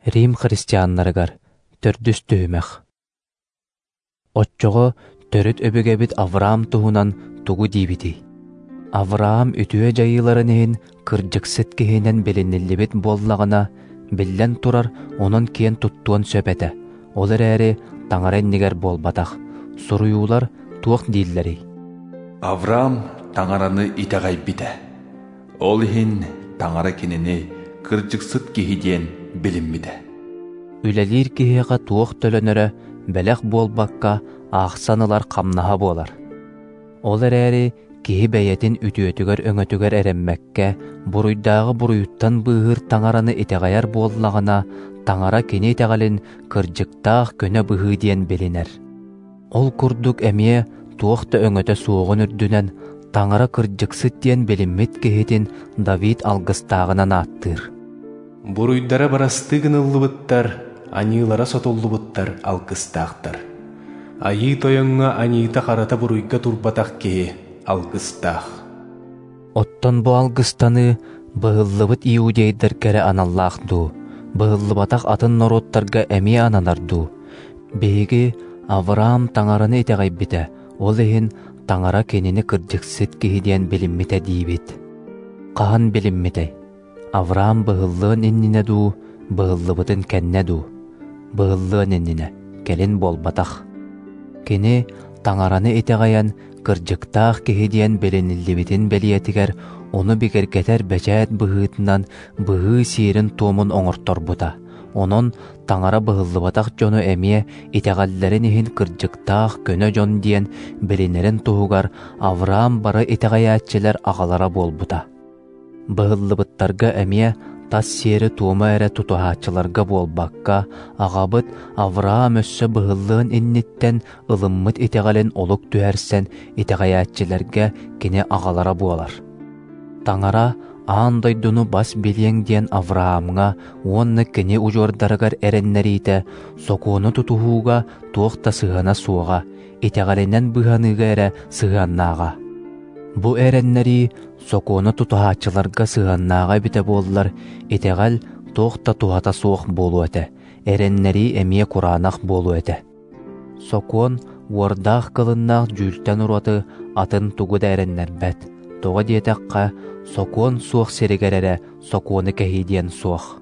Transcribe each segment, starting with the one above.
Рим христианнарыгар төрдүс түһүмэх. Оччоҕо төрүт өбүгэбит Авраам туһунан тугу диибитий? Авраам үтүө дьайыыларын иһин кырдьыксыт киһинэн билиниллибит буоллаҕына, биллэн турар, онон киэн туттуон сөп этэ. Ол эрээри Таҥара иннигэр буолбатах. Суруйуулар туох дииллэрий? Авраам Таҥараны итэҕэйбитэ. Ол иһин Таҥара кинини кырдьыксыт киһи диэн билиммитэ. Үлэлиир киһиэхэ туох төлөнөрө бэлэх буолбакка, аахсан ылар хамнаһа буолар. Ол эрээри киһи бэйэтин үтүөтүгэр-өҥөтүгэр эрэммэккэ, буруйдааҕы буруйуттан быыһыыр Таҥараны итэҕэйэр буоллаҕына, Таҥара кини итэҕэлин кырдьыктаах көнө быһыы диэн билинэр. Ол курдук эмиэ туох да өҥөтө суоҕун үрдүнэн, Таҥара кырдьыксыт диэн билиммит киһитин Давид алгыстааҕынан ааттыыр. Буруйдара бырастыы гыныллыбыттар, аньыылара сотуллубуттар алгыстаахтар. Айыы Тойоҥҥо аньыыта-харата буруйга турбатах киһи алгыстаах. Оттон бу алгыстаныы быһыллыбыт иудейдарга эрэ аналлаах дуу, быһыллыбатах атын норуоттарга эмиэ ананар дуу? Биһиги Авраам Таҥараны итэҕэйбитэ, ол иһин Таҥара кинини кырдьыксыт киһи диэн билиммитэ диибит. Хаһан билиммитэй? Авраам быһыллыан иннинэ дуу, быһыллыбытын кэннэ дуу? Быһыллыан иннинэ, кэлин буолбатах. Кини Таҥараны итэҕэйэн кырдьыктаах киһи диэн билиниллибитин бэлиэтигэр ону бигэргэтэр бэчээт быһыытынан быһыы сиэрин-туомун оҥорторбута. Онон Таҥара быһыллыбатах дьону эмиэ итэҕэллэрин иһин кырдьыктаах көнө дьон диэн билинэрин туһугар Авраам бары итэҕэйээччилэр аҕалара буолбута. Быһыллыбыттарга эмиэ тас сиэри-туому эрэ тутуһааччыларга буолбакка, аҕабыт Авраам өссө быһыллыан инниттэн ылыммыт итэҕэлин олук түһэрсэн итэҕэйээччилэргэ кини аҕалара буолар. Таҥара аан дойдуну бас билиэҥ диэн Авраамҥа уонна кини удьуордарыгар эрэннэриитэ сокуону тутуһууга туох да сыһыана суоҕа, итэҕэлинэн быыһаныыга эрэ сыһыаннааҕа. Бу эрэннэрии сокуону тутуһааччыларга сыһыаннааҕа эбитэ буоллар, итэҕэл туох да туһата суох буолуо этэ, эрэннэрии эмиэ кураанах буолуо этэ. Сокуон уордаах кылыннаах дьүүлтэн ураты атын тугу да эрэннэрбэт. Тоҕо диэтэххэ, сокуон суох сиригэр эрэ сокуону кэһии диэн суох.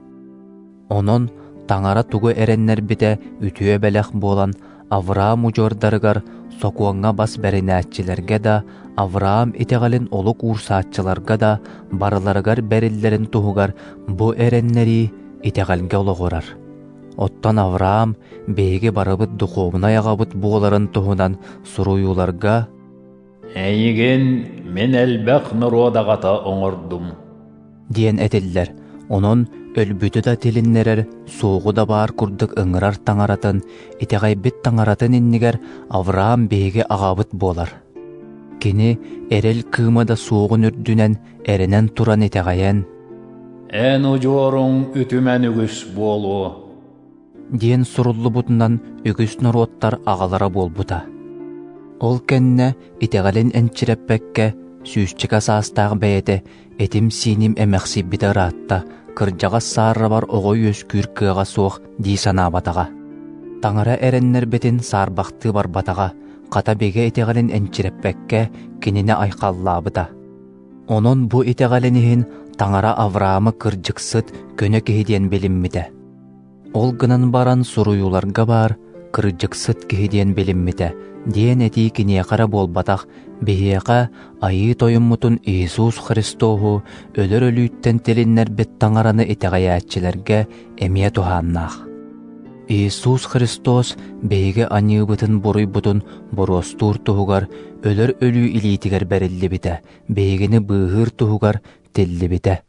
Онон Таҥара тугу эрэннэрбитэ үтүө бэлэх буолан, Авраам удьуордарыгар сокуоҥҥа бас бэринээччилэргэ да, Авраам итэҕэлин олук уурсааччыларга да барыларыгар бэриллэрин туһугар бу эрэннэрии итэҕэлгэ олоҕурар. Оттон Авраам биһиги барыбыт духуобунай аҕабыт буоларын туһунан суруйууларга «Эйигин мин элбэх норуот аҕата оҥордум» диэн этиллэр. Онон өлбүтү да тилиннэрэр, суоҕу да баар курдук ыҥырар Таҥаратын, итэҕэйбит Таҥаратын иннигэр Авраам биһиги аҕабыт буолар. Кини эрэл кыыма да суоҕун үрдүнэн эрэнэн туран итэҕэйэн «Эн удьуоруҥ үтүмэн үгүс буолуо» диэн суруллубутунан үгүс норуоттар аҕалара буолбута. Ол кэннэ итэҕэлин энчирэппэккэ сүүсчэкэ саастаах бэйэтэ этим-сииним эмэхсийбитэ ыраатта, кырдьаҕас сааррабар оҕо үөскүүр кыаҕа суох дии санаабатаҕа. Таҥара эрэннэрбитин саарбахтыы барбатаҕа, хата бигэ итэҕэлин энчирэппэккэ кинини айхаллаабыта. Онон бу итэҕэлин иһин Таҥара Авраамы кырдьыксыт, көнө киһи диэн билиммитэ. Ол гынан баран суруйууларга баар «кырдьыксыт киһи диэн билиммитэ» диэн этии киниэхэ эрэ буолбатах, биһиэхэ Айыы Тойоммутун Иисус Христоһу өлөр өлүүттэн тилиннэрбит Таҥараны итэҕэйээччилэргэ эмиэ туһааннаах. Иисус Христос биһиги аньыыбытын-буруйбутун боруостуур туһугар өлөр өлүү илиитигэр бэриллибитэ, биһигини быыһыыр туһугар тиллибитэ.